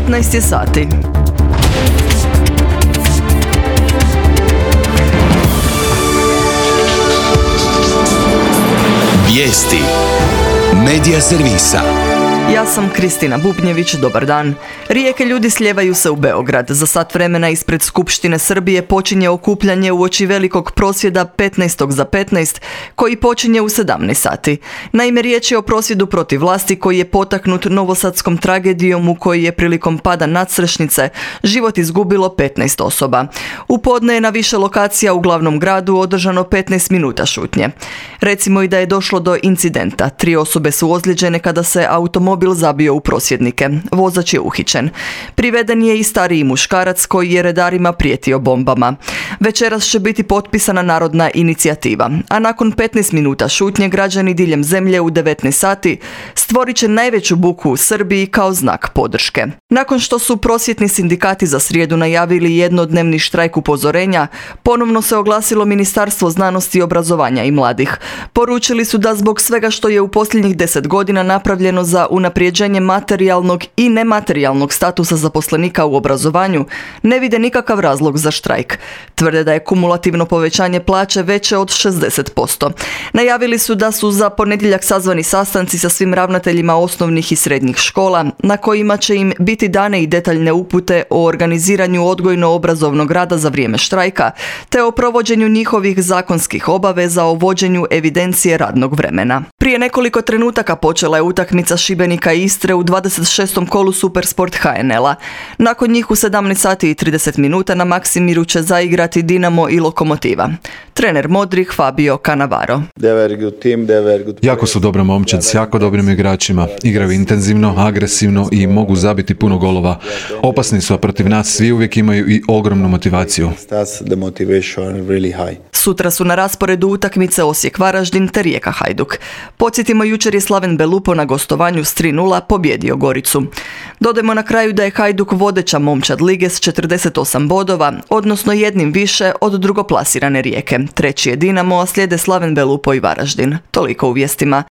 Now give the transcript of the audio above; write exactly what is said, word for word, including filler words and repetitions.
petnaest je sati. Vijesti Medija servisa. Ja sam Kristina Bubnjević, dobar dan. Rijeke ljudi slijevaju se u Beograd. Za sat vremena ispred Skupštine Srbije počinje okupljanje uoči velikog prosvjeda petnaest za petnaest, koji počinje u sedamnaest sati. Naime, riječ je o prosvjedu protiv vlasti koji je potaknut novosadskom tragedijom u kojoj je prilikom pada nadstrešnice život izgubilo petnaest osoba. U podne je na više lokacija u glavnom gradu održano petnaest minuta šutnje. Recimo i da je došlo do incidenta. Tri osobe su ozlijeđene kada se automobil zabio u prosvjednike. Vozač je uhićen. Priveden je i stariji muškarac koji je redarima prijetio bombama. Večeras će biti potpisana narodna inicijativa, a nakon petnaest minuta šutnje građani diljem zemlje u devetnaest sati stvorit će najveću buku u Srbiji kao znak podrške. Nakon što su prosvjetni sindikati za srijedu najavili jednodnevni štrajk upozorenja, ponovno se oglasilo Ministarstvo znanosti, obrazovanja i mladih. Poručili su da zbog svega što je u posljednjih deset godina napravljeno za unaprijeđenje materijalnog i nematerijalnog statusa zaposlenika u obrazovanju, ne vide nikakav razlog za štrajk. Tvrde da je kumulativno povećanje plaće veće od šezdeset posto. Najavili su da su za ponedjeljak sazvani sastanci sa svim ravnateljima osnovnih i srednjih škola, na kojima će im biti dane i detaljne upute o organiziranju odgojno-obrazovnog rada za vrijeme štrajka, te o provođenju njihovih zakonskih obaveza o vođenju evidencije radnog vremena. Prije nekoliko trenutaka počela je utakmica Šibenika i Istre u dvadeset šestom kolu Supersport ha en el-a. Nakon njih u sedamnaest sati i trideset minuta na Maksimiru će zaigrati Dinamo i Lokomotiva. Trener Modrih Fabio Cannavaro. Jako su dobra momčad s jako dobrim igračima. Igraju intenzivno, agresivno i mogu zabiti puno golova. Opasni su, a protiv nas svi uvijek imaju i ogromnu motivaciju. Sutra su na rasporedu utakmice Osijek-Varaždin te Rijeka-Hajduk. Podsjetimo, jučer je Slaven Belupo na gostovanju s tri nula pobjedio Goricu. Dodajmo na kraju da je Hajduk vodeća momčad lige s četrdeset osam bodova, odnosno jednim više od drugoplasirane Rijeke. Treći je Dinamo, a slijede Slaven Belupo i Varaždin. Toliko u vijestima.